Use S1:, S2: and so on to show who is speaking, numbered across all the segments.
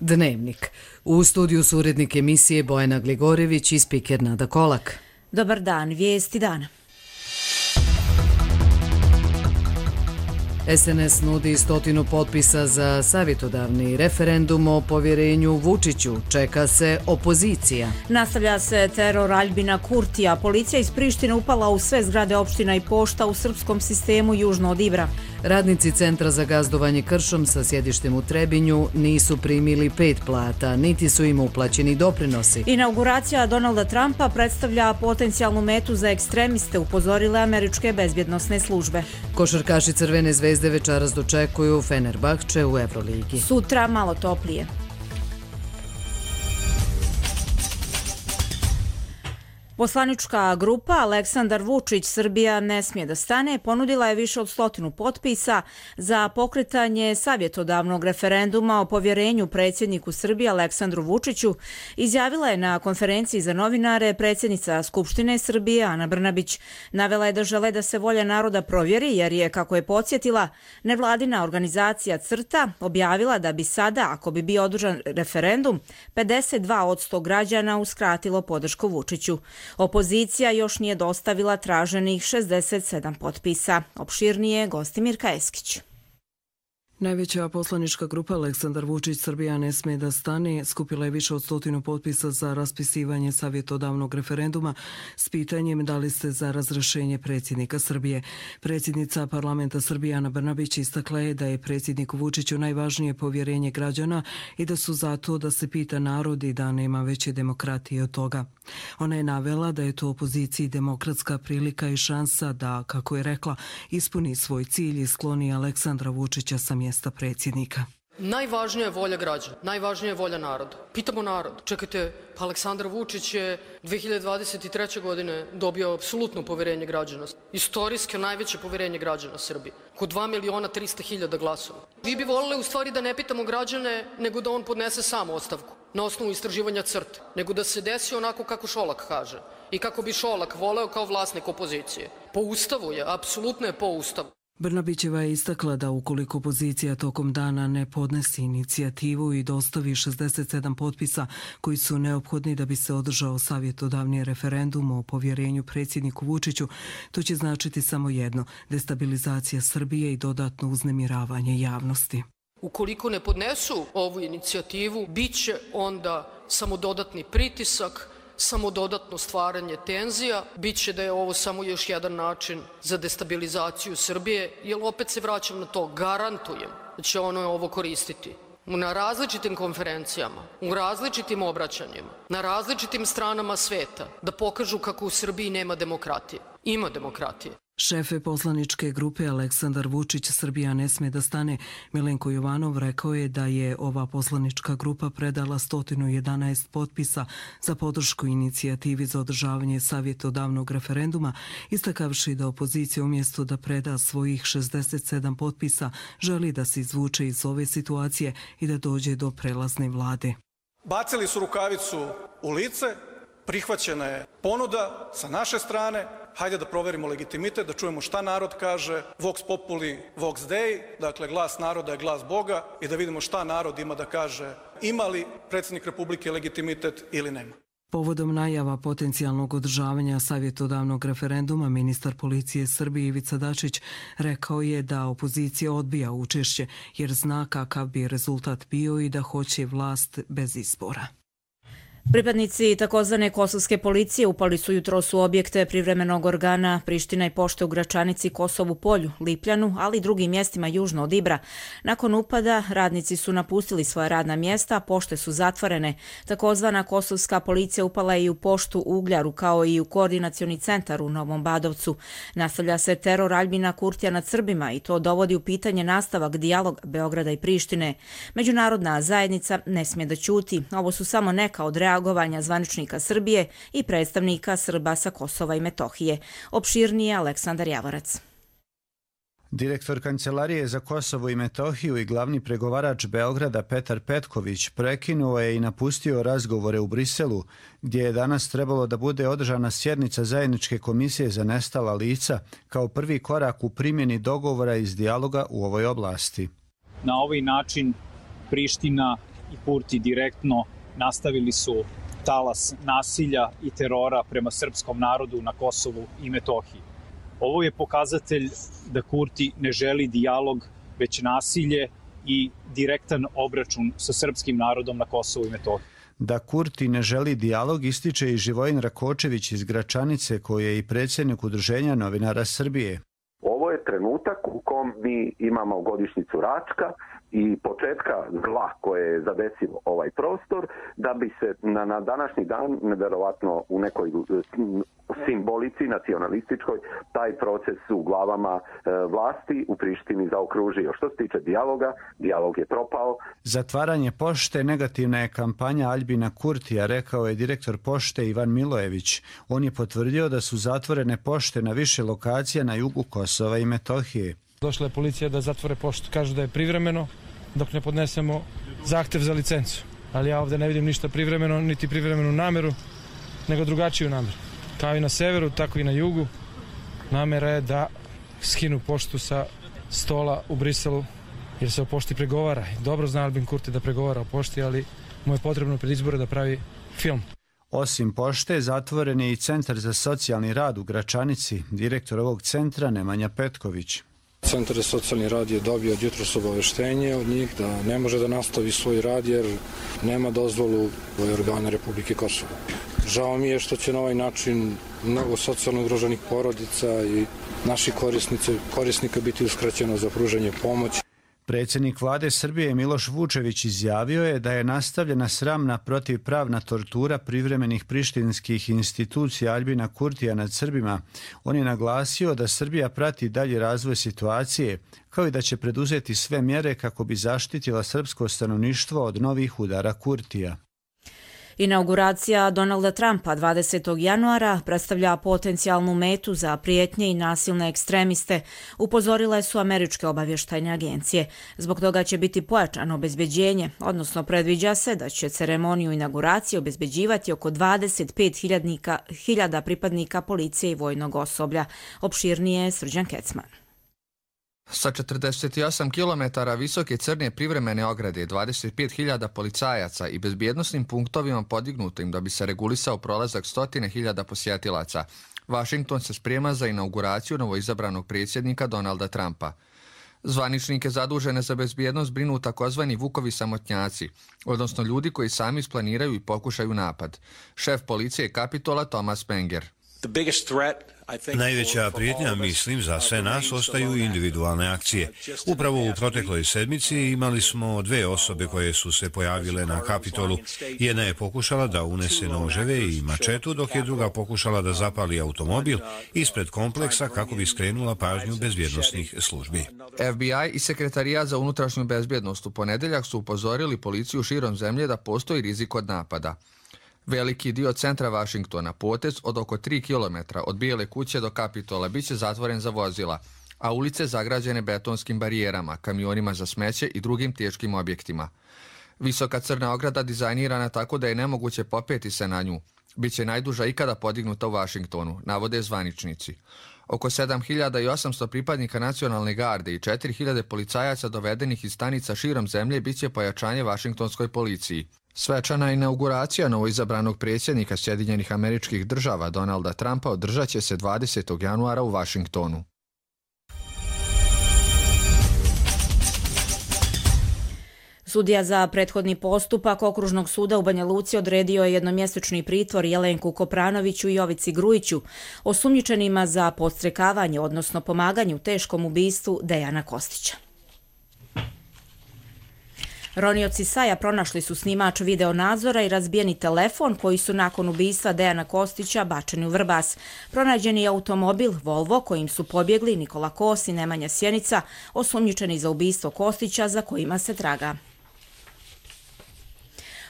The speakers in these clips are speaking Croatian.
S1: Dnevnik. U studiju su urednik emisije Bojana Gligorević i spiker Nada Kolak.
S2: Dobar dan, vijesti dana.
S1: SNS nudi 100 potpisa za savjetodavni referendum o povjerenju Vučiću. Čeka se opozicija.
S2: Nastavlja se teror Aljbina Kurtija. Policija iz Prištine upala u sve zgrade opština i pošta u srpskom sistemu južno od Ibra.
S1: Radnici Centra za gazdovanje kršom sa sjedištem u Trebinju nisu primili 5 plata, niti su im uplaćeni doprinosi.
S2: Inauguracija Donalda Trumpa predstavlja potencijalnu metu za ekstremiste, upozorile američke bezbjednosne službe.
S1: Košarkaši Crvene zvezde večeras dočekuju Fenerbahče u Evroligi.
S2: Sutra malo toplije. Poslanička grupa Aleksandar Vučić Srbija ne smije da stane ponudila je više od 100 potpisa za pokretanje savjetodavnog referenduma o povjerenju predsjedniku Srbije Aleksandru Vučiću, izjavila je na konferenciji za novinare predsjednica Skupštine Srbije Ana Brnabić. Navela je da žele da se volja naroda provjeri jer je, kako je podsjetila, nevladina organizacija CRTA objavila da bi sada, ako bi bio održan referendum, 52% građana uskratilo podršku Vučiću. Opozicija još nije dostavila traženih 67 potpisa. Opširnije Gostimir Kajeskić.
S3: Najveća poslanička grupa Aleksandar Vučić Srbija ne smije da stane skupila je više od 100 potpisa za raspisivanje savjetodavnog referenduma s pitanjem da li ste za razrješenje predsjednika Srbije. Predsjednica parlamenta Srbije Ana Brnabić istakla je da je predsjedniku Vučiću najvažnije povjerenje građana i da su zato da se pita narod i da nema veće demokratije od toga. Ona je navela da je to opoziciji demokratska prilika i šansa da, kako je rekla, ispuni svoj cilj i skloni Aleksandra Vučića sa mjesta predsjednika.
S4: Najvažnija je volja građana, najvažnija je volja naroda. Pitamo narod, čekajte, pa Aleksandar Vučić je 2023. godine dobio apsolutno poverenje građana. Istorijske najveće poverenje građana Srbije. Oko 2.300.000 glasova. Vi bi volili u stvari da ne pitamo građane, nego da on podnese sam ostavku na osnovu istraživanja CRTA, nego da se desi onako kako Šolak kaže i kako bi Šolak voleo kao vlasnik opozicije. Po ustavu je, apsolutno je po ustavu.
S3: Brnabićeva je istakla da ukoliko opozicija tokom dana ne podnesi inicijativu i dostavi 67 potpisa koji su neophodni da bi se održao savjetodavni referendum o povjerenju predsjedniku Vučiću, to će značiti samo jedno, destabilizacija Srbije i dodatno uznemiravanje javnosti.
S4: Ukoliko ne podnesu ovu inicijativu, bit će onda samo dodatni pritisak, samo dodatno stvaranje tenzija, bit će da je ovo samo još jedan način za destabilizaciju Srbije, jer opet se vraćam na to, garantujem da će ono ovo koristiti na različitim konferencijama, u različitim obraćanjima, na različitim stranama sveta, da pokažu kako u Srbiji nema demokratije. Ima demokratije.
S3: Šefe poslaničke grupe Aleksandar Vučić Srbija ne smije da stane Milenko Jovanov rekao je da je ova poslanička grupa predala 111 potpisa za podršku inicijativi za održavanje savjetodavnog referenduma, istakavši da opozicija umjesto da preda svojih 67 potpisa želi da se izvuče iz ove situacije i da dođe do prelazne vlade.
S5: Bacili su rukavicu u lice, prihvaćena je ponuda sa naše strane. Hajde da proverimo legitimitet, da čujemo šta narod kaže, vox populi, vox dei, dakle glas naroda je glas Boga i da vidimo šta narod ima da kaže, ima li predsjednik Republike legitimitet ili nema.
S3: Povodom najava potencijalnog održavanja savjetodavnog referenduma, ministar policije Srbije Ivica Dačić rekao je da opozicija odbija učešće jer zna kakav bi rezultat bio i da hoće vlast bez izbora.
S2: Pripadnici takozvane kosovske policije upali su jutros u objekte privremenog organa Priština i pošte u Gračanici, Kosovu Polju, Lipljanu, ali i drugim mjestima južno od Ibra. Nakon upada radnici su napustili svoja radna mjesta, pošte su zatvorene. Takozvana kosovska policija upala je i u poštu u Ugljaru kao i u koordinacioni centar u Novom Badovcu. Nastavlja se teror Aljbina Kurtija nad Srbima i to dovodi u pitanje nastavak dijaloga Beograda i Prištine. Međunarodna zajednica ne smije da ćuti. Ovo su samo neka od reagovanja zvaničnika Srbije i predstavnika Srba sa Kosova i Metohije. Opširnije Aleksandar Javorac.
S6: Direktor Kancelarije za Kosovo i Metohiju i glavni pregovarač Beograda Petar Petković prekinuo je i napustio razgovore u Briselu, gdje je danas trebalo da bude održana sjednica Zajedničke komisije za nestala lica kao prvi korak u primjeni dogovora iz dijaloga u ovoj oblasti.
S7: Na ovaj način Priština i Kurti direktno nastavili su talas nasilja i terora prema srpskom narodu na Kosovu i Metohiji. Ovo je pokazatelj da Kurti ne želi dijalog, već nasilje i direktan obračun sa srpskim narodom na Kosovu i Metohiji.
S6: Da Kurti ne želi dijalog ističe i Živojin Rakočević iz Gračanice, koji je i predsjednik Udruženja novinara Srbije.
S8: Ovo je trenutak u kom mi imamo godišnjicu Račka i početka zla koje je zadesilo ovaj prostor, da bi se na današnji dan, nevjerovatno u nekoj simbolici nacionalističkoj, taj proces u glavama vlasti u Prištini zaokružio. Što se tiče dijaloga, dijalog je propao.
S6: Zatvaranje pošte negativna je kampanja Aljbina Kurtija, rekao je direktor pošte Ivan Milojević. On je potvrdio da su zatvorene pošte na više lokacija na jugu Kosova i Metohije.
S9: Došla je policija da zatvore poštu. Kažu da je privremeno dok ne podnesemo zahtev za licencu. Ali ja ovdje ne vidim ništa privremeno, niti privremenu nameru, nego drugačiju nameru. Kao i na severu, tako i na jugu. Namera je da skinu poštu sa stola u Briselu, jer se o pošti pregovara. Dobro zna Aljbin Kurti da pregovara o pošti, ali mu je potrebno pred izbore da pravi film.
S6: Osim pošte, zatvoren je i Centar za socijalni rad u Gračanici. Direktor ovog centra Nemanja Petković.
S10: Centar za socijalni rad je dobio od jutros obaveštenje od njih da ne može da nastavi svoj rad jer nema dozvolu organa Republike Kosovo. Žao mi je što će na ovaj način mnogo socijalno ugroženih porodica i naših korisnika biti uskraćeno za pružanje pomoći.
S6: Predsjednik vlade Srbije Miloš Vučević izjavio je da je nastavljena sramna protivpravna tortura privremenih prištinskih institucija Aljbina Kurtija nad Srbima. On je naglasio da Srbija prati dalji razvoj situacije, kao i da će preduzeti sve mjere kako bi zaštitila srpsko stanovništvo od novih udara Kurtija.
S2: Inauguracija Donalda Trumpa 20. januara predstavlja potencijalnu metu za prijetnje i nasilne ekstremiste, upozorile su američke obavještajne agencije. Zbog toga će biti pojačano obezbeđenje, odnosno predviđa se da će ceremoniju inauguracije obezbeđivati oko 25.000 pripadnika policije i vojnog osoblja. Opširnije je Srđan Kecman.
S11: Sa 48 km visoke crne privremene ograde, 25.000 policajaca i bezbjednosnim punktovima podignutim da bi se regulisao prolazak 100.000 posjetilaca, Vašington se sprema za inauguraciju novoizabranog predsjednika Donalda Trumpa. Zvaničnike zadužene za bezbjednost brinu takozvani Vukovi samotnjaci, odnosno ljudi koji sami isplaniraju i pokušaju napad. Šef policije Kapitola Thomas Menger.
S12: Najveća prijetnja, mislim, za sve nas ostaju individualne akcije. Upravo u protekloj sedmici imali smo 2 osobe koje su se pojavile na Kapitolu. Jedna je pokušala da unese noževe i mačetu, dok je druga pokušala da zapali automobil ispred kompleksa kako bi skrenula pažnju bezbjednosnih službi.
S11: FBI i Sekretarijat za unutrašnju bezbjednost u ponedeljak su upozorili policiju širom zemlje da postoji rizik od napada. Veliki dio centra Vašingtona, potez od oko 3 km od Bijele kuće do Kapitola, bit će zatvoren za vozila, a ulice zagrađene betonskim barijerama, kamionima za smeće i drugim teškim objektima. Visoka crna ograda dizajnirana tako da je nemoguće popeti se na nju. Biće najduža ikada podignuta u Vašingtonu, navode zvaničnici. Oko 7.800 pripadnika nacionalne garde i 4.000 policajaca dovedenih iz stanica širom zemlje bit će pojačanje vašingtonskoj policiji. Svečana inauguracija novoizabranog predsjednika Sjedinjenih Američkih Država Donalda Trumpa održat će se 20. januara u Vašingtonu.
S2: Sudija za prethodni postupak Okružnog suda u Banja Luci odredio je jednomjesečni pritvor Jelenku Kopranoviću i Jovici Grujiću, osumnjičenima za podstrekavanje, odnosno pomaganje u teškom ubistvu Dejana Kostića. Ronioci Saja pronašli su snimač videonadzora i razbijeni telefon koji su nakon ubistva Dejana Kostića bačeni u Vrbas. Pronađen je automobil Volvo kojim su pobjegli Nikola Kos i Nemanja Sjenica, osumnjičeni za ubistvo Kostića za kojima se traga.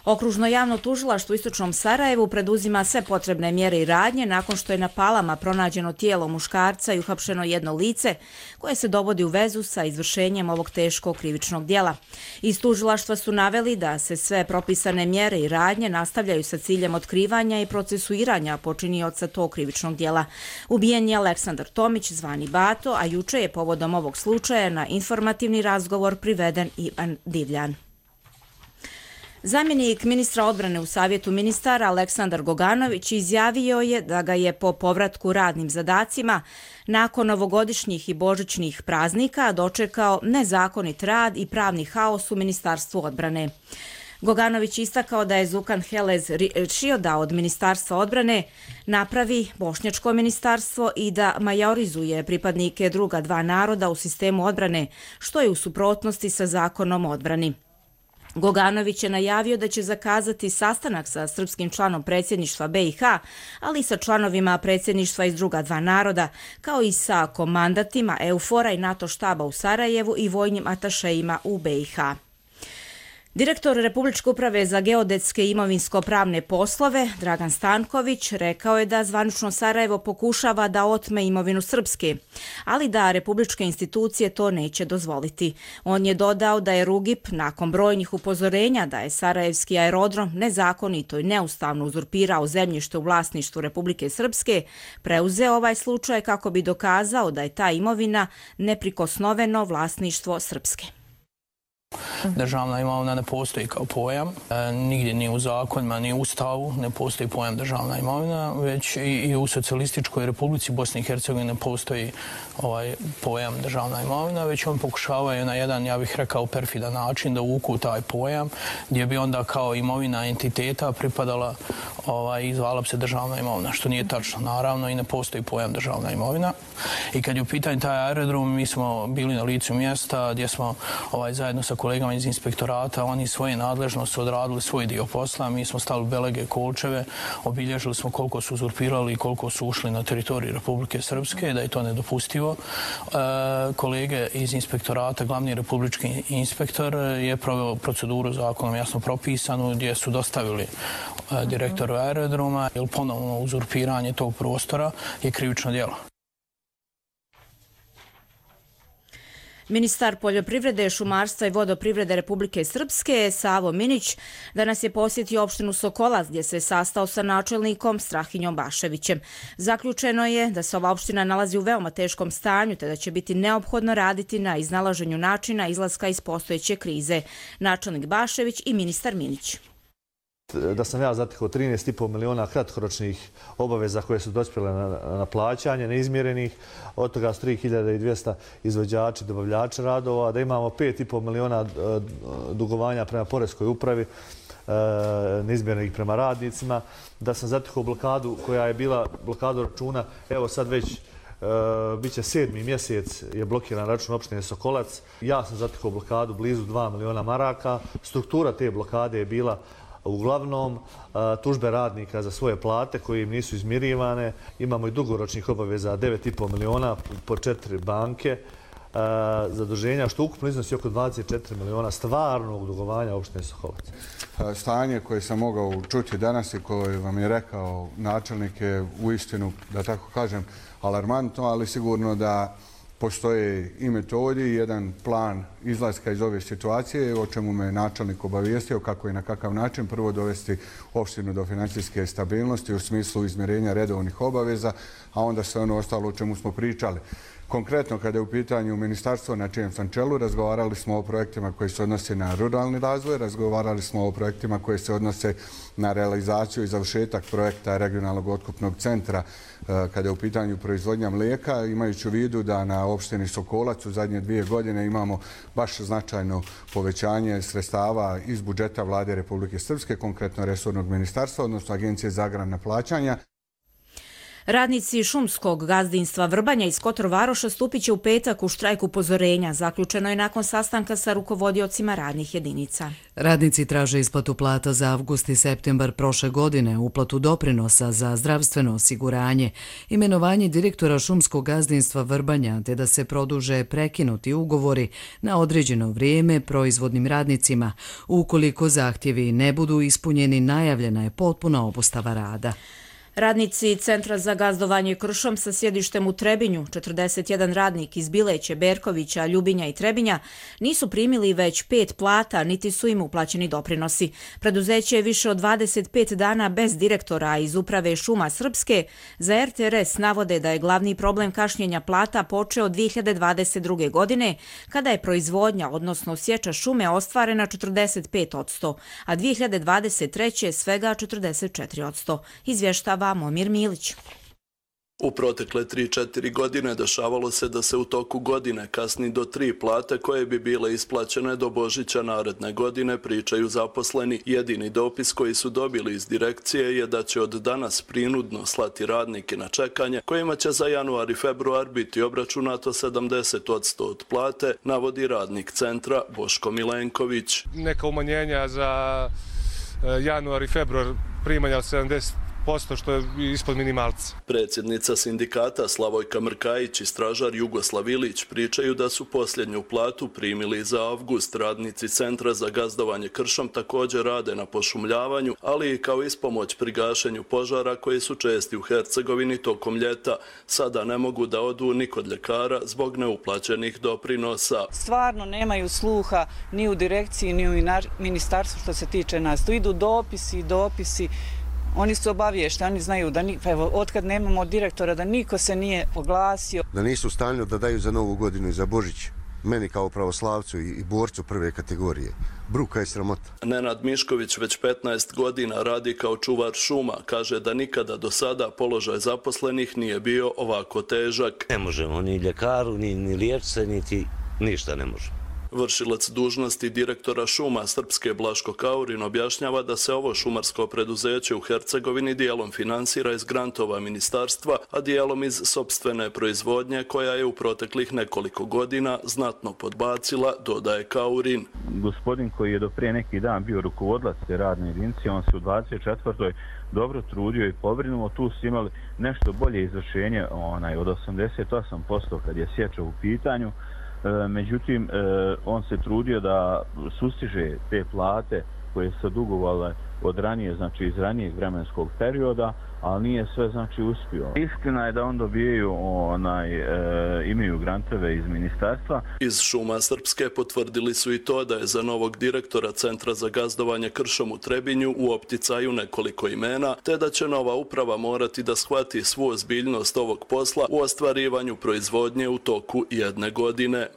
S2: Okružno javno tužilaštvo u Istočnom Sarajevu preduzima sve potrebne mjere i radnje nakon što je na Palama pronađeno tijelo muškarca i uhapšeno jedno lice koje se dovodi u vezu sa izvršenjem ovog teškog krivičnog djela. Iz tužilaštva su naveli da se sve propisane mjere i radnje nastavljaju sa ciljem otkrivanja i procesuiranja počinioca tog krivičnog djela. Ubijen je Aleksandar Tomić, zvani Bato, a juče je povodom ovog slučaja na informativni razgovor priveden Ivan Divljan. Zamjenik ministra odbrane u Savjetu ministara Aleksandar Goganović izjavio je da ga je po povratku radnim zadacima nakon novogodišnjih i božićnih praznika dočekao nezakonit rad i pravni haos u Ministarstvu odbrane. Goganović istakao da je Zukan Helez rešio da od Ministarstva odbrane napravi bošnjačko ministarstvo i da majorizuje pripadnike druga dva naroda u sistemu odbrane, što je u suprotnosti sa zakonom o odbrani. Goganović je najavio da će zakazati sastanak sa srpskim članom predsjedništva BiH, ali i sa članovima predsjedništva iz druga dva naroda, kao i sa komandatima EUFOR-a i NATO štaba u Sarajevu i vojnim atašejima u BiH. Direktor Republičke uprave za geodetske i imovinsko-pravne poslove, Dragan Stanković, rekao je da zvanično Sarajevo pokušava da otme imovinu Srpske, ali da republičke institucije to neće dozvoliti. On je dodao da je Rugip, nakon brojnih upozorenja da je Sarajevski aerodrom nezakonito i neustavno uzurpirao zemljište u vlasništvu Republike Srpske, preuzeo ovaj slučaj kako bi dokazao da je ta imovina neprikosnoveno vlasništvo Srpske.
S13: Državna imovina ne postoji kao pojam, nigdje ni u zakonima, ni u Ustavu ne postoji pojam državna imovina, već i u Socijalističkoj Republici Bosne i Hercegovine ne postoji pojam državna imovina, već on pokušavaju na jedan, ja bih rekao, perfidan način da uvuku taj pojam, gdje bi onda kao imovina entiteta pripadala i zvala bi se državna imovina, što nije tačno, naravno, i ne postoji pojam državna imovina. I kad je u pitanju taj aerodrom, mi smo bili na licu mjesta gdje smo zajedno sa kolegama iz inspektorata, oni svoje nadležnosti odradili svoj dio posla, mi smo stavili belege, kolčeve, obilježili smo koliko su uzurpirali i koliko su ušli na teritoriju Republike Srpske, da je to nedopustivo. Kolege iz inspektorata, glavni republički inspektor je proveo proceduru zakonom jasno propisanu gdje su dostavili direktoru aerodroma, jer ponovno uzurpiranje tog prostora je krivično djelo.
S2: Ministar poljoprivrede, šumarstva i vodoprivrede Republike Srpske, Savo Minić, danas je posjetio opštinu Sokolac gdje se sastao sa načelnikom Strahinjom Baševićem. Zaključeno je da se ova opština nalazi u veoma teškom stanju te da će biti neophodno raditi na iznalaženju načina izlaska iz postojeće krize. Načelnik Bašević i ministar Minić.
S14: Da sam ja zatekao 13,5 miliona kratkoročnih obaveza koje su dospjele na plaćanje, neizmjerenih, od toga su 3200 izvođači, dobavljači radova, da imamo 5,5 miliona dugovanja prema Poreskoj upravi, neizmjerenih prema radnicima, da sam zatekao blokadu koja je bila blokadu računa, evo sad već biće 7. mjesec je blokiran račun opštine Sokolac. Ja sam zatekao blokadu blizu 2 miliona maraka. Struktura te blokade je bila uglavnom tužbe radnika za svoje plate koje im nisu izmirivane. Imamo i dugoročnih obaveza 9,5 miliona po 4 banke zaduženja, što ukupno iznosi oko 24 miliona stvarnog dugovanja opštine Sokolac.
S15: Stanje koje sam mogao čuti danas i koje vam je rekao načelnik je uistinu, da tako kažem, alarmantno, ali sigurno da postoje i metodi i jedan plan izlaska iz ove situacije, o čemu me načelnik obavijestio kako i na kakav način prvo dovesti opštinu do financijske stabilnosti u smislu izmirenja redovnih obaveza, a onda sve ono ostalo o čemu smo pričali. Konkretno, kada je u pitanju ministarstvo na čijem sam čelu, razgovarali smo o projektima koji se odnose na ruralni razvoj, razgovarali smo o projektima koji se odnose na realizaciju i završetak projekta regionalnog otkupnog centra kada je u pitanju proizvodnja mlijeka, imajući u vidu da na opštini Sokolac u zadnje 2 godine imamo baš značajno povećanje sredstava iz budžeta Vlade Republike Srpske, konkretno resornog ministarstva, odnosno Agencije za agrarna plaćanja.
S2: Radnici šumskog gazdinstva Vrbanja iz Kotor-Varoša stupit će u petak u štrajk upozorenja. Zaključeno je nakon sastanka sa rukovodiocima radnih jedinica.
S1: Radnici traže isplatu plata za avgust i septembar prošle godine, uplatu doprinosa za zdravstveno osiguranje, imenovanje direktora šumskog gazdinstva Vrbanja, te da se produže prekinuti ugovori na određeno vrijeme proizvodnim radnicima. Ukoliko zahtjevi ne budu ispunjeni, najavljena je potpuna obustava rada.
S2: Radnici Centra za gazdovanje kršom sa sjedištem u Trebinju, 41 radnik iz Bileće, Berkovića, Ljubinja i Trebinja, nisu primili već 5 plata, niti su im uplaćeni doprinosi. Preduzeće je više od 25 dana bez direktora iz Uprave šuma Srpske. Za RTRS navode da je glavni problem kašnjenja plata počeo 2022. godine, kada je proizvodnja, odnosno sječa šume, ostvarena 45%, a 2023. svega 44%. Izvještava Momir Milić.
S16: U protekle 3-4 godine dešavalo se da se u toku godine kasni do 3 plate koje bi bile isplaćene do Božića naredne godine, pričaju zaposleni. Jedini dopis koji su dobili iz direkcije je da će od danas prinudno slati radnike na čekanje, kojima će za januar i februar biti obračunato 70% od plate, navodi radnik centra Boško Milenković.
S17: Neka umanjenja za januar i februar primanja od 70%, što je ispod minimalca.
S16: Predsjednica sindikata Slavojka Mrkajić i stražar Jugoslav Ilić pričaju da su posljednju platu primili za avgust. Radnici Centra za gazdovanje kršom također rade na pošumljavanju, ali i kao ispomoć pri gašenju požara koji su česti u Hercegovini tokom ljeta. Sada ne mogu da odu ni kod ljekara zbog neuplaćenih doprinosa.
S18: Stvarno nemaju sluha ni u direkciji, ni u ministarstvu što se tiče nas. Tu idu dopisi. Oni su obaviješteni, oni znaju da otkad nemamo direktora da niko se nije oglasio.
S19: Da nisu u stanju da daju za Novu godinu i za Božić, meni kao pravoslavcu i borcu prve kategorije. Bruka je sramota.
S16: Nenad Mišković već 15 godina radi kao čuvar šuma. Kaže da nikada do sada položaj zaposlenih nije bio ovako težak.
S20: Ne možemo ni ljekaru, ni liječnice, niti ništa ne možemo.
S16: Vršilac dužnosti direktora šuma Srpske Blaško Kaurin objašnjava da se ovo šumarsko preduzeće u Hercegovini dijelom finansira iz grantova ministarstva, a dijelom iz sopstvene proizvodnje koja je u proteklih nekoliko godina znatno podbacila, dodaje Kaurin.
S21: Gospodin koji je do prije neki dan bio rukovodilac te radne jedinice, on se u 24. dobro trudio i pobrinuo. Tu su imali nešto bolje izvršenje od 88% kad je sječa u pitanju. Međutim, on se trudio da sustiže te plate koje su dugovale od ranije, znači iz ranijeg vremenskog perioda, ali nije sve znači uspio. Istina je da on dobijaju, imaju grantove iz ministarstva.
S16: Iz šuma Srpske potvrdili su i to da je za novog direktora Centra za gazdovanje kršom u Trebinju u opticaju nekoliko imena, te da će nova uprava morati da shvati svu ozbiljnost ovog posla u ostvarivanju proizvodnje u toku jedne godine.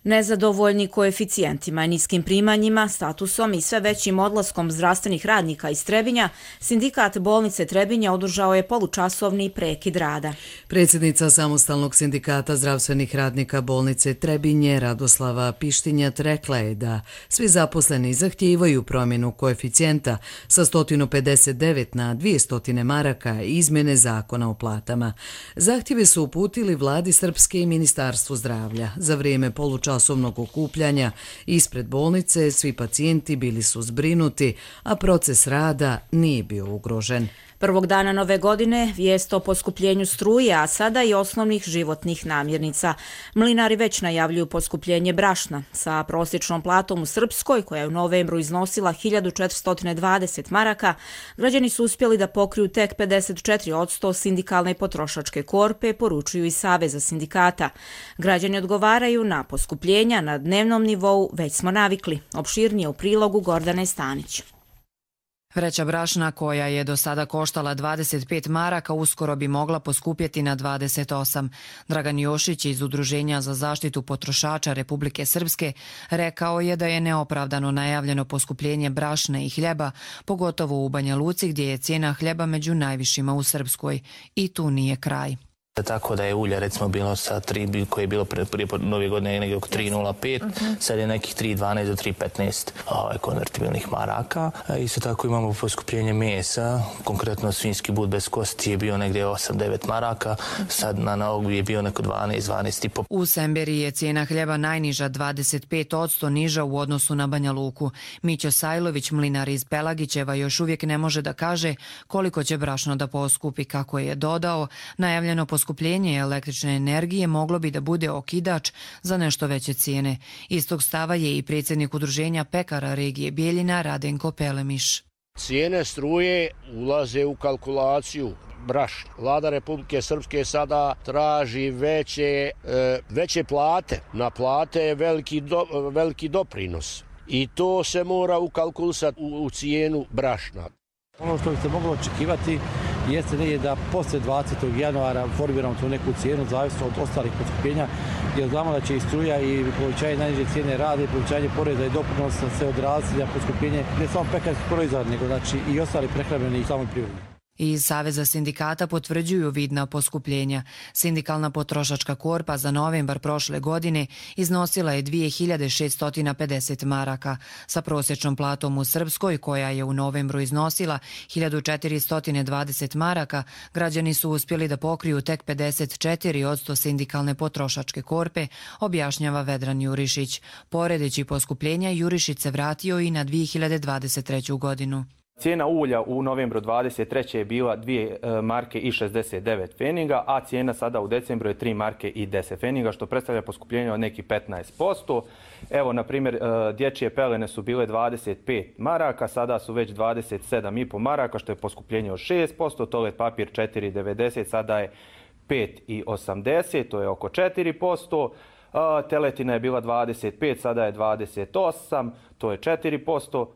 S2: Nezadovoljni koeficijentima, niskim primanjima, statusom i sve većim odlaskom zdravstvenih radnika iz Trebinja, sindikat bolnice Trebinja održao je polučasovni prekid rada.
S1: Predsjednica samostalnog sindikata zdravstvenih radnika bolnice Trebinje, Radoslava Pištinjat, rekla je da svi zaposleni zahtijevaju promjenu koeficijenta sa 159 na 200 maraka i izmjene zakona o platama. Zahtjeve su uputili vladi Srpske i Ministarstvu zdravlja. Za vrijeme polučasovnog okupljanja ispred bolnice svi pacijenti bili su zbrinuti, a proces rada nije bio ugrožen.
S2: Prvog dana nove godine vijest o poskupljenju struje, a sada i osnovnih životnih namirnica. Mlinari već najavljuju poskupljenje brašna. Sa prosječnom platom u Srpskoj, koja je u novembru iznosila 1420 maraka, građani su uspjeli da pokriju tek 54% sindikalne potrošačke korpe, poručuju i Saveza sindikata. Građani odgovaraju na poskupljenja na dnevnom nivou, već smo navikli. Opširnije u prilogu Gordane Stanić.
S22: Vreća brašna koja je do sada koštala 25 maraka uskoro bi mogla poskupjeti na 28. Dragan Jošić iz Udruženja za zaštitu potrošača Republike Srpske rekao je da je neopravdano najavljeno poskupljenje brašna i hljeba, pogotovo u Banja Luci gdje je cijena hljeba među najvišima u Srpskoj. I tu nije kraj.
S13: Tako da je ulja recimo bilo sa 3, koje je bilo prije nove godine negdje oko 3,05, sad je nekih 3,12 do 3,15 konvertibilnih maraka. Isto tako imamo poskupljenje mesa, konkretno svinjski but bez kosti je bio negdje 8-9 maraka, sad na ovu je bio neko 12,5.
S22: U Semberi je cijena hljeba najniža, 25% niža u odnosu na Banja Luku. Mićo Sajlović, mlinar iz Pelagićeva, još uvijek ne može da kaže koliko će brašno da poskupi. Kako je dodao, najavljeno poskupljenje električne energije moglo bi da bude okidač za nešto veće cijene. Istog stava je i predsjednik Udruženja pekara regije Bijeljina Radenko Pelemiš.
S4: Cijene struje ulaze u kalkulaciju brašna. Vlada Republike Srpske sada traži veće plate. Na plate je veliki doprinos. I to se mora ukalkulisati u cijenu brašna.
S5: Ono što bi se moglo očekivati jeste negdje da poslije 20. januara formiramo tu neku cijenu zavisno od ostalih poskupljenja, jer znamo da će i struja i povećanje najniže cijene rada i povećanje poreza i doprinosa se odraziti na poskupljenje ne samo pekarskih proizvoda, nego znači i ostali prehrambeni i samoj privredi.
S22: Iz Saveza sindikata potvrđuju vidna poskupljenja. Sindikalna potrošačka korpa za novembar prošle godine iznosila je 2650 maraka. Sa prosječnom platom u Srpskoj, koja je u novembru iznosila 1420 maraka, građani su uspjeli da pokriju tek 54% sindikalne potrošačke korpe, objašnjava Vedran Jurišić. Poredeći poskupljenja, Jurišić se vratio i na 2023. godinu.
S23: Cijena ulja u novembru 23. je bila 2 marke i 69 pfeninga, a cijena sada u decembru je 3 marke i 10 pfeninga, što predstavlja poskupljenje od nekih 15%. Evo, na primjer, dječje pelene su bile 25 maraka, sada su već 27,5 maraka, što je poskupljenje od 6%, toalet papir 4,90, sada je 5,80, to je oko 4%. Teletina je bila 25, sada je 28, to je 4%.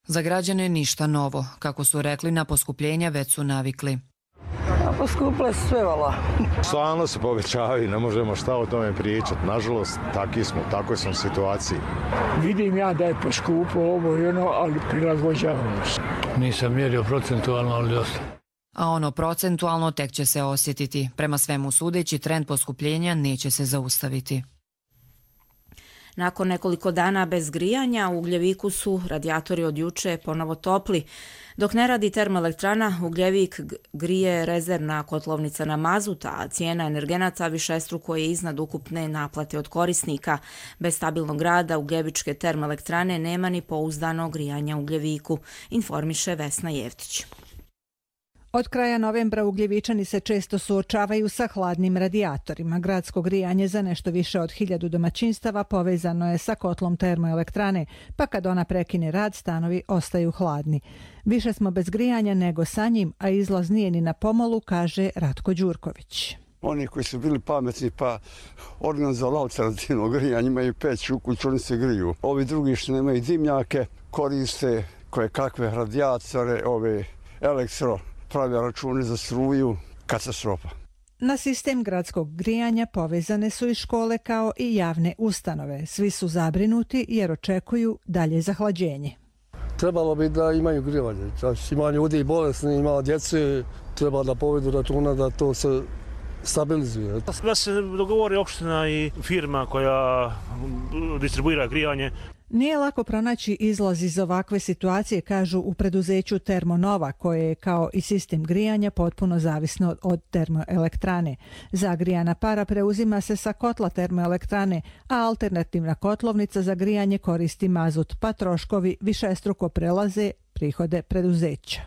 S22: Za građane ništa novo. Kako su rekli, na poskupljenja već su navikli.
S24: Poskupile su sve, vala.
S25: Stalno se povećavaju, ne možemo šta o tome pričati. Nažalost, takoj smo situaciji.
S24: Vidim ja da je poskupo ovo i ono, ali prilagođavamo se. Nisam mjerio procentualno, ali dosta.
S22: A ono procentualno tek će se osjetiti. Prema svemu sudeći, trend poskupljenja neće se zaustaviti.
S2: Nakon nekoliko dana bez grijanja u Ugljeviku su radijatori od juče ponovo topli. Dok ne radi termoelektrana, Ugljevik grije rezervna kotlovnica na mazut, a cijena energenata višestruko je iznad ukupne naplate od korisnika. Bez stabilnog rada Ugljevičke termoelektrane nema ni pouzdano grijanja u Ugljeviku, informiše Vesna Jevtić.
S26: Od kraja novembra Ugljevičani se često suočavaju sa hladnim radijatorima. Gradsko grijanje za nešto više od 1000 domaćinstava povezano je sa kotlom termoelektrane, pa kad ona prekine rad, stanovi ostaju hladni. Više smo bez grijanja nego sa njim, a izlaz nije ni na pomolu, kaže Ratko Đurković.
S27: Oni koji su bili pametni pa organizovali alternativno grijanje, imaju peć u kuću, oni se griju. Ovi drugi što nemaju dimnjake koriste koje kakve radijatore, ove elektro, prave račune za struju, katastrofa.
S26: Na sistem gradskog grijanja povezane su i škole kao i javne ustanove. Svi su zabrinuti jer očekuju dalje zahlađenje.
S24: Trebalo bi da imaju grijanje. Ima ljudi i bolesni, ima djece, treba da povedu računa da to se stabilizuje.
S28: Da se dogovori opština i firma koja distribuira grijanje.
S26: Nije lako pronaći izlaz iz ovakve situacije, kažu u preduzeću Termonova, koje je kao i sistem grijanja potpuno zavisno od termoelektrane. Zagrijana para preuzima se sa kotla termoelektrane, a alternativna kotlovnica za grijanje koristi mazut, pa troškovi višestruko prelaze prihode preduzeća.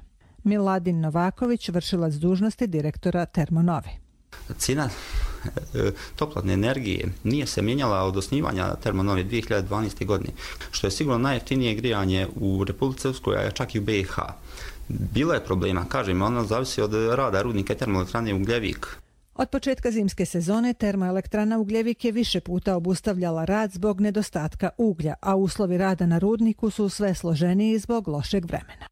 S26: Miladin Novaković, vršilac dužnosti direktora Termonove.
S29: Cijena toplotne energije nije se mijenjala od osnivanja Termonove 2012. godine, što je sigurno najjeftinije grijanje u Republici Srpskoj, a čak i u BiH. Bilo je problema, kažem, ono zavisi od rada rudnika termoelektrane Ugljevik.
S26: Od početka zimske sezone termoelektrana Ugljevik je više puta obustavljala rad zbog nedostatka uglja, a uslovi rada na rudniku su sve složeniji zbog lošeg vremena.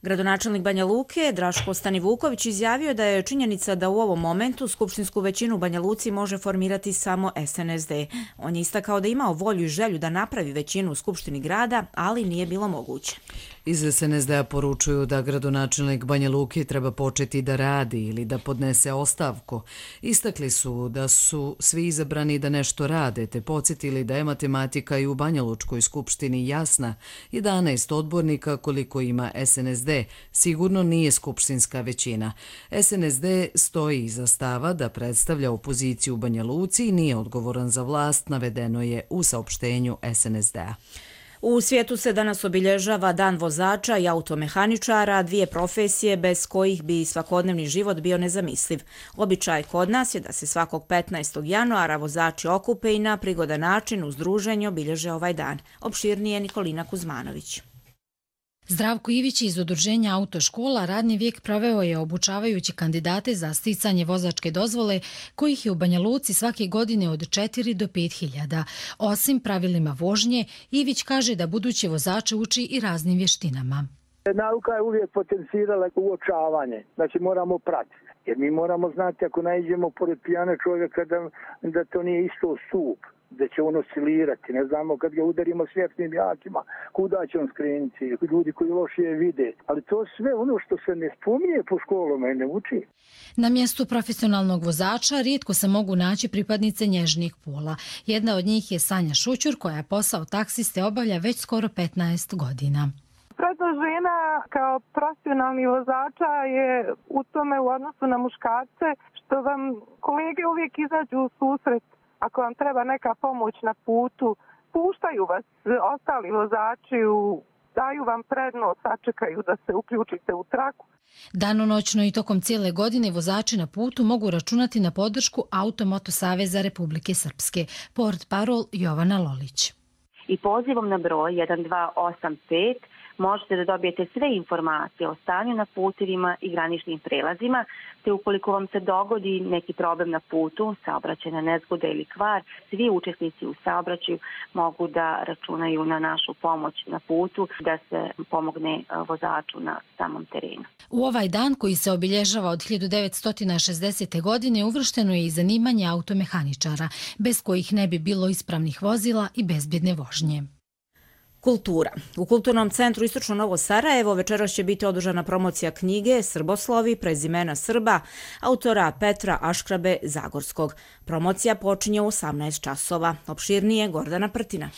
S2: Gradonačelnik Banja Luke, Draško Stanivuković, izjavio da je činjenica da u ovom momentu skupštinsku većinu u Banja Luci može formirati samo SNSD. On je istakao da imao volju i želju da napravi većinu u skupštini grada, ali nije bilo moguće.
S1: Iz SNSD-a poručuju da gradonačelnik Banja Luke treba početi da radi ili da podnese ostavku. Istakli su da su svi izabrani da nešto rade, te podsjetili da je matematika i u Banja Lučkoj skupštini jasna. 11 odbornika koliko ima SNSD sigurno nije skupštinska većina. SNSD stoji iza stava da predstavlja opoziciju u Banja Luci i nije odgovoran za vlast, navedeno je u saopštenju SNSD-a.
S2: U svijetu se danas obilježava Dan vozača i automehaničara, dvije profesije bez kojih bi svakodnevni život bio nezamisliv. Običaj kod nas je da se svakog 15. januara vozači okupe i na prigodan način uz druženje obilježe ovaj dan. Opširnije Nikolina Kuzmanović.
S3: Zdravko Ivić iz udruženja Autoškola radni vijek proveo je obučavajući kandidate za sticanje vozačke dozvole, kojih je u Banja Luci svake godine od 4 do 5.000. Osim pravilima vožnje, Ivić kaže da buduće vozače uči i raznim vještinama.
S6: Nauka je uvijek potencirala uočavanje, znači moramo pratiti. Jer mi moramo znati ako naiđemo pored pijana čovjeka da to nije isto stup, da će on oscilirati. Ne znamo kad ga udarimo svjetlim jakima, kuda će on skrenuti, ljudi koji lošije vide. Ali to sve ono što se ne spominje po školama i ne uči.
S3: Na mjestu profesionalnog vozača rijetko se mogu naći pripadnice nježnih pola. Jedna od njih je Sanja Šućur, koja posao taksiste obavlja već skoro 15 godina.
S7: Prednost žena kao profesionalni vozača je u tome u odnosu na muškarce što vam kolege uvijek izađu u susret. Ako vam treba neka pomoć na putu, puštaju vas ostali vozači, daju vam prednost, sačekaju da se uključite u traku.
S3: Danonoćno i tokom cijele godine vozači na putu mogu računati na podršku Automoto Saveza Republike Srpske. Portparol Jovana Lolić.
S8: I pozivom na broj 1285 možete da dobijete sve informacije o stanju na putevima i graničnim prelazima, te ukoliko vam se dogodi neki problem na putu, saobraćajna nezgoda ili kvar, svi učesnici u saobraćaju mogu da računaju na našu pomoć na putu, da se pomogne vozaču na samom terenu.
S3: U ovaj dan, koji se obilježava od 1960. godine, uvršteno je i zanimanje automehaničara, bez kojih ne bi bilo ispravnih vozila i bezbjedne vožnje.
S2: Kultura. U Kulturnom centru Istočno Novo Sarajevo večeras će biti održana promocija knjige Srboslovi, prezimena Srba, autora Petra Aškrabe Zagorskog. Promocija počinje u 18 časova. Opširnije Gordana Prtina.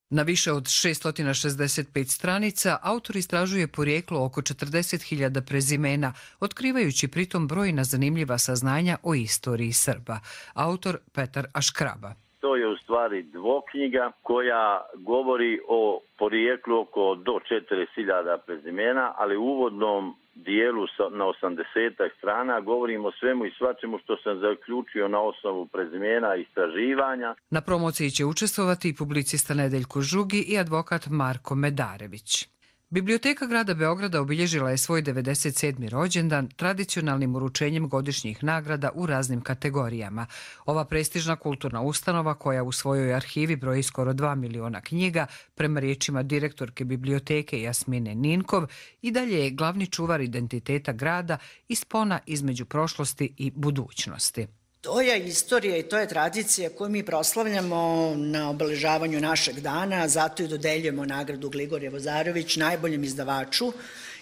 S1: Na više od 665 stranica autor istražuje porijeklo oko 40.000 prezimena, otkrivajući pritom brojna zanimljiva saznanja o istoriji Srba. Autor Petar Aškraba.
S9: To je u stvari dvoknjiga koja govori o porijeklu oko do 40.000 prezimena, ali u uvodnom dijelu na 80 strana govorimo o svemu i svačemu što sam zaključio na osnovu prezimena i istraživanja.
S1: Na promociji će učestvovati i publicista Nedeljko Žugi i advokat Marko Medarević. Biblioteka grada Beograda obilježila je svoj 97. rođendan tradicionalnim uručenjem godišnjih nagrada u raznim kategorijama. Ova prestižna kulturna ustanova, koja u svojoj arhivi broji skoro 2 miliona knjiga, prema riječima direktorke biblioteke Jasmine Ninkov, i dalje je glavni čuvar identiteta grada i spona između prošlosti i budućnosti.
S10: To je istorija i to je tradicija koju mi proslavljamo na obeležavanju našeg dana, zato i dodeljujemo nagradu Gligorije Vozarević najboljem izdavaču,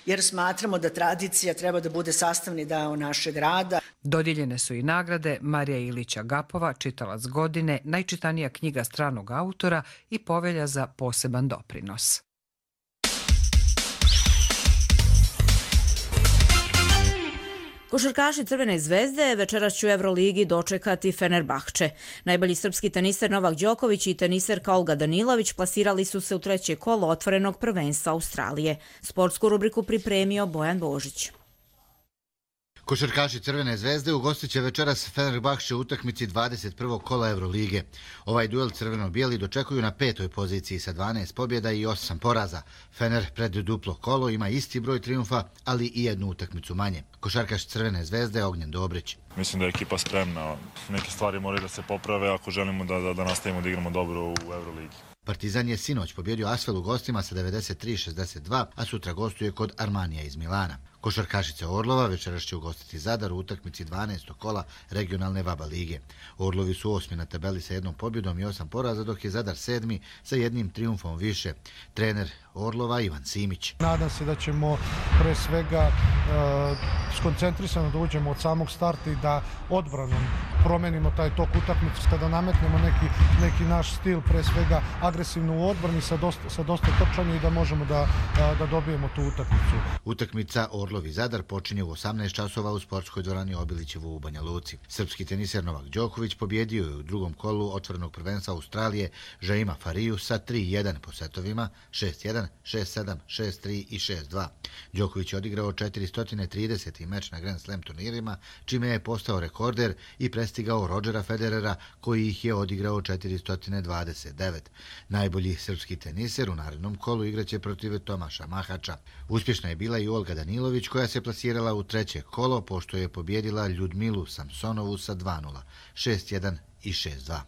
S10: jer smatramo da tradicija treba da bude sastavni deo našeg rada.
S1: Dodijeljene su i nagrade Marija Ilića Gapova, čitalac godine, najčitanija knjiga stranog autora i Povelja za poseban doprinos.
S2: Košarkaši Crvene zvezde večeras će u Euroligi dočekati Fenerbahče. Najbolji srpski teniser Novak Đoković i teniserka Olga Danilović plasirali su se u treće kolo otvorenog prvenstva Australije. Sportsku rubriku pripremio Bojan Božić.
S11: Košarkaši Crvene zvezde ugostit će večeras Fenerbahče u utakmici 21. kola Eurolige. Ovaj duel crveno-bijeli dočekuju na 5. poziciji sa 12 pobjeda i 8 poraza. Fener pred duplo kolo ima isti broj triumfa, ali i jednu utakmicu manje. Košarkaš Crvene zvezde Ognjen Dobrić.
S12: Mislim da je ekipa spremna. Neke stvari moraju da se poprave ako želimo da nastavimo da igramo dobro u Euroligi.
S11: Partizan je sinoć pobjedio Asvel u gostima sa 93-62, a sutra gostuje kod Armanija iz Milana. Košarkašice Orlova večeras će ugostiti Zadar u utakmici 12. kola regionalne VABA lige. Orlovi su 8. na tabeli sa jednom pobjedom i 8 poraza, dok je Zadar 7. sa jednim triumfom više. Trener Orlova Ivan Simić.
S14: Nadam se da ćemo pre svega skoncentrisano da uđemo od samog starta i da odbranom promenimo taj tok utakmice, da nametnemo neki naš stil, pre svega agresivno u odbrani sa dosta trčanja i da možemo da dobijemo tu utakmicu.
S11: Utakmica Orlova Orlov i Zadar počinje u 18 časova u sportskoj dvorani Obilićevu u Banja Luci. Srpski teniser Novak Đoković pobjedio je u drugom kolu otvorenog prvenstva Australije Jaima Fariju sa 3-1 po setovima 6-1, 6-7, 6-3 i 6-2. Đoković je odigrao 430. meč na Grand Slam turnirima, čime je postao rekorder i prestigao Rodgera Federera koji ih je odigrao 429. Najbolji srpski teniser u narednom kolu igraće protiv Tomaša Mahača. Uspješna je bila i Olga Danilović koja se plasirala u treće kolo pošto je pobjedila Ljudmilu Samsonovu sa 2-0, 6-1 i 6-2.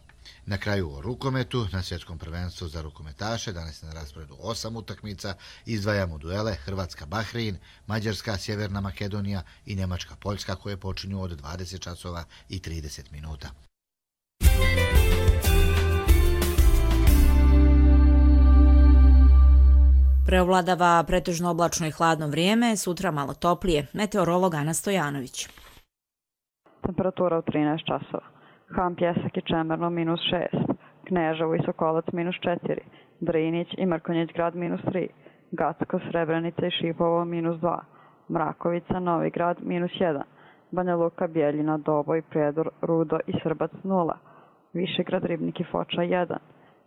S11: Na kraju o rukometu, na svjetskom prvenstvu za rukometaše, danas je na rasporedu 8 utakmica, izdvajamo duele Hrvatska-Bahrein, Mađarska-Sjeverna Makedonija i Njemačka-Poljska koje počinju od 20 časova i 30 minuta.
S2: Preovladava pretežno oblačno i hladno vrijeme, sutra malo toplije. Meteorolog Ana Stojanović.
S4: Temperatura u 13 časova. Ham, Pjesak i Čemerno -6, Kneževo i Sokolac -4, Drinić i Mrkonjić grad -3, Gacko, Srebrenica i Šipovo -2, Mrakovica, Novi grad -1, Banja Luka, Bjeljina, Doboj, Prijedor, Rudo i Srbac 0, Višegrad, Ribnik i Foča 1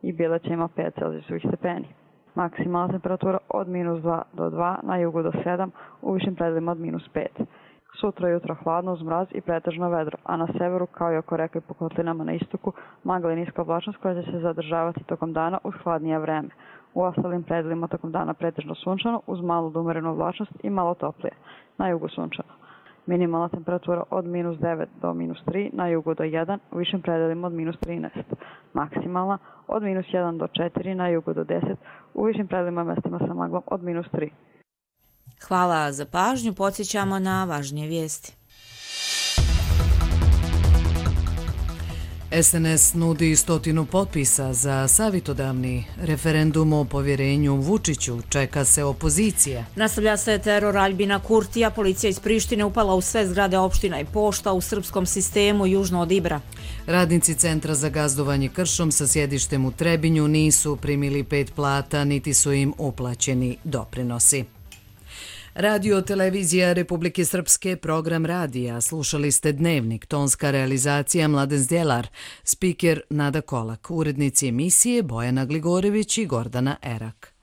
S4: i Bileć ima 5 Celzijusovih stepeni. Maksimalna temperatura od -2 do 2, na jugu do 7, u višim predelima od -5. Sutra jutro hladno uz mraz i pretežno vedro, a na severu kao i oko reka i po kotlinama na istoku magla i niska oblačnost koja će se zadržavati tokom dana uz hladnije vreme. U ostalim predelima tokom dana pretežno sunčano uz malu do umerenu oblačnost i malo toplije, na jugu sunčano. Minimalna temperatura od -9 do -3, na jugu do 1, u višim predelima od -13. Maksimalna od -1 do 4, na jugu do 10, u višim predelima mestima sa maglom od -3.
S2: Hvala za pažnju, podsjećamo na važnije vijesti.
S1: SNS nudi 100 potpisa za savjetodavni referendum o povjerenju Vučiću. Čeka se opozicija.
S2: Nastavlja se teror Aljbina Kurtija. Policija iz Prištine upala u sve zgrade opština i pošta u srpskom sistemu južno od Ibra.
S1: Radnici Centra za gazdovanje kršom sa sjedištem u Trebinju nisu primili 5 plata, niti su im uplaćeni doprinosi. Radio televizija Republike Srpske, program radija. Slušali ste Dnevnik, tonska realizacija Mladen Zdjelar, spiker Nada Kolak, urednici emisije Bojana Gligorević i Gordana Erak.